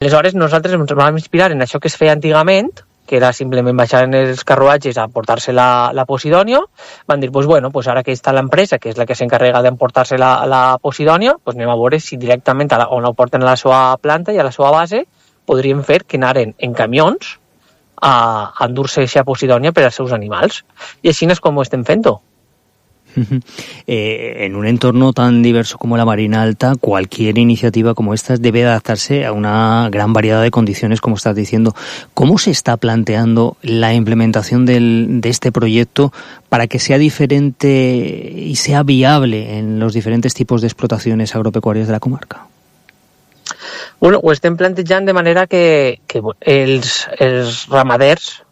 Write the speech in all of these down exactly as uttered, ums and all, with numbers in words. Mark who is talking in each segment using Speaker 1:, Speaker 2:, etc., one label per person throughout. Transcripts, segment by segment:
Speaker 1: Aleshores nosaltres ens vam inspirar en això que es feia antigament, que era simplement baixar en els carruatges a portar-se la, la Posidònia. Van dir, pues bueno, pues ara que està l'empresa, que és la que s'encarrega d'emportar-se la, la Posidònia, pues anem a veure si directament a la, on la porten a la seva planta i a la seva base podríem fer que anaren en camions a, a endur-se aquesta Posidònia per als seus animals. I així és com ho estem fent-ho.
Speaker 2: Eh, en un entorno tan diverso como la Marina Alta, cualquier iniciativa como esta debe adaptarse a una gran variedad de condiciones, como estás diciendo. ¿Cómo se está planteando la implementación del, de este proyecto para que sea diferente y sea viable en los diferentes tipos de explotaciones agropecuarias de la comarca?
Speaker 1: Bueno, ho estem plantejant de manera que, que els, els ramaders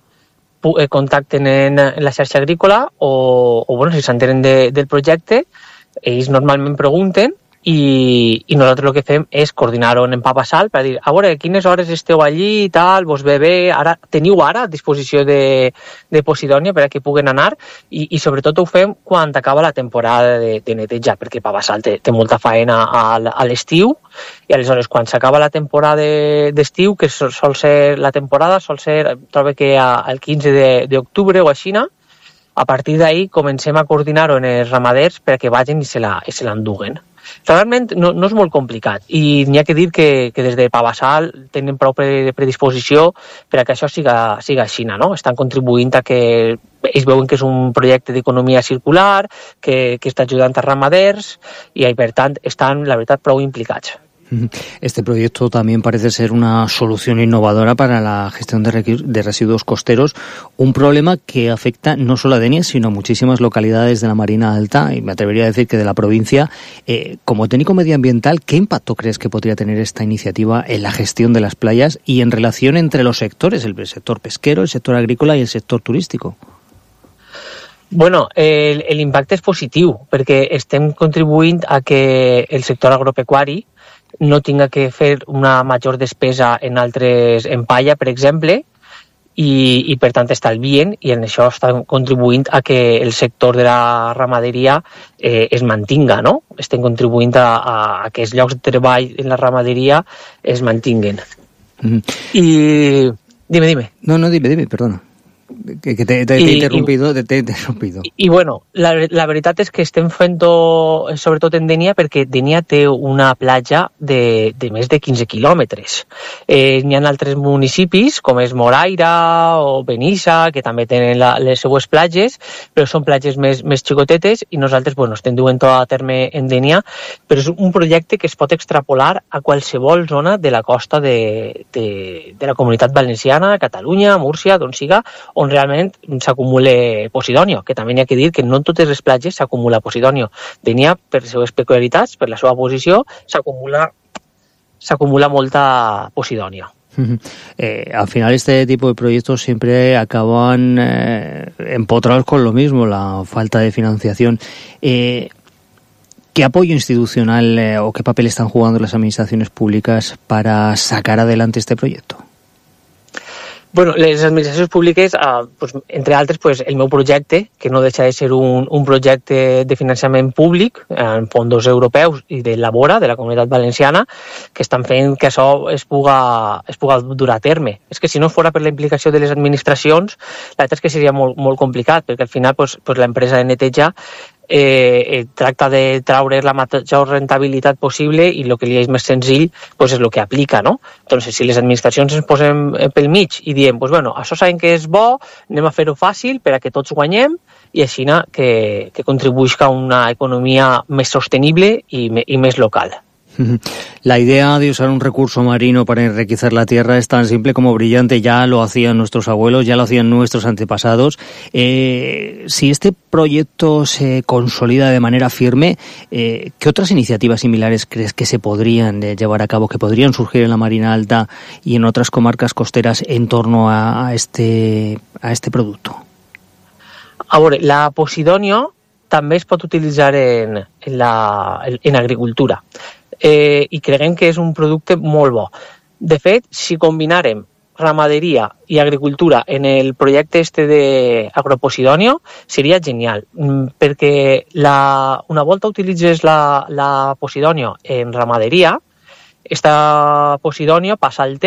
Speaker 1: contacten en, en la xarxa agrícola o, o bueno, si s'entenen de, del projecte, ells normalment pregunten i, i nosaltres el que fem és coordinar-ho en Papassal per dir, a veure, quines hores esteu allí i tal, vos ve bé, ara, teniu ara a disposició de, de Posidònia per a que puguen anar i, i sobretot ho fem quan acaba la temporada de, de netejar, perquè Papassal té, té molta faena a, a l'estiu i aleshores quan s'acaba la temporada d'estiu, que sol, sol ser la temporada, sol ser, trobo que el quinze d'octubre o així, a partir d'ahir comencem a coordinar-ho en els ramaders perquè vagin i se l'enduguen. Realment no, no és molt complicat i n'hi ha que dir que, que des de Papassal tenen prou predisposició per a que això siga, siga així, no? Estan contribuint a que ells veuen que és un projecte d'economia circular, que, que està ajudant a ramaders i per tant estan, la veritat, prou implicats.
Speaker 2: Este proyecto también parece ser una solución innovadora para la gestión de residuos costeros, un problema que afecta no solo a Denia, sino a muchísimas localidades de la Marina Alta, y me atrevería a decir que de la provincia. Eh, como técnico medioambiental, ¿qué impacto crees que podría tener esta iniciativa en la gestión de las playas y en relación entre los sectores, el sector pesquero, el sector agrícola y el sector turístico?
Speaker 1: Bueno, l'impacte és positiu, perquè estem contribuint a que el sector agropecuari no tinga que fer una major despesa en altres, en palla, per exemple, i, i per tant estalvien, i en això estan contribuint a que el sector de la ramaderia eh, es mantinga, no? Estem contribuint a, a, a que els llocs de treball en la ramaderia es mantinguen. Mm. I... Dime, dime.
Speaker 2: No, no, dime, dime, perdona. Que, que te, te, te he interrumpido, te, te he interrumpido.
Speaker 1: I, i bueno, la, la veritat és que estem fent-ho sobretot en Denia perquè Denia té una platja de, de més de quinze quilòmetres. Eh, n'hi ha altres municipis com és Moraira o Benissa que també tenen la, les seues platges, però són platges més, més xicotetes i nosaltres bueno, estem duent-ho a terme en Denia, però és un projecte que es pot extrapolar a qualsevol zona de la costa de, de, de la Comunitat Valenciana, Catalunya, Múrcia, d'on siga, on realment s'acumula Posidònia, que també n'hi ha que dir que no en totes les platges s'acumula Posidònia. Denia, per les seves peculiaritats, per la seva posició, s'acumula s'acumula molta Posidònia.
Speaker 2: Eh, al final este tipo de proyectos siempre acaban eh, empotrados con lo mismo, la falta de financiación. Eh, ¿Qué apoyo institucional eh, o qué papel están jugando las administraciones públicas para sacar adelante este proyecto?
Speaker 1: Bueno, les administracions públiques, eh, pues, entre altres, pues, el meu projecte, que no deixa de ser un, un projecte de finançament públic en fons europeus i de Labora, de la Comunitat Valenciana, que estan fent que això es puga, es puga dur a terme. És que si no fora per la implicació de les administracions, la veritat és que seria molt, molt complicat, perquè al final pues, pues, l'empresa de neteja Eh, tracta de traure la major rentabilitat possible i el que li és més senzill pues, és el que aplica, no? Entonces, si les administracions ens posem pel mig i diem, pues, bueno, això sabem que és bo, anem a fer-ho fàcil per a que tots guanyem i així que, que contribuïsca a una economia més sostenible i, i més local.
Speaker 2: La idea de usar un recurso marino para enriquecer la tierra es tan simple como brillante. Ya lo hacían nuestros abuelos, ya lo hacían nuestros antepasados. Eh, si este proyecto se consolida de manera firme, eh, ¿qué otras iniciativas similares crees que se podrían eh, llevar a cabo, que podrían surgir en la Marina Alta y en otras comarcas costeras en torno a, a, este, a este producto?
Speaker 1: A veure, la Posidònia també es pot utilitzar en, en, la, en agricultura. Eh, i creguem que és un producte molt bo. De fet, si combinàrem ramaderia i agricultura en el projecte este d'Agroposidònia, seria genial, perquè la, una volta utilitzes la, la Posidònia en ramaderia, esta Posidònia passa al Ter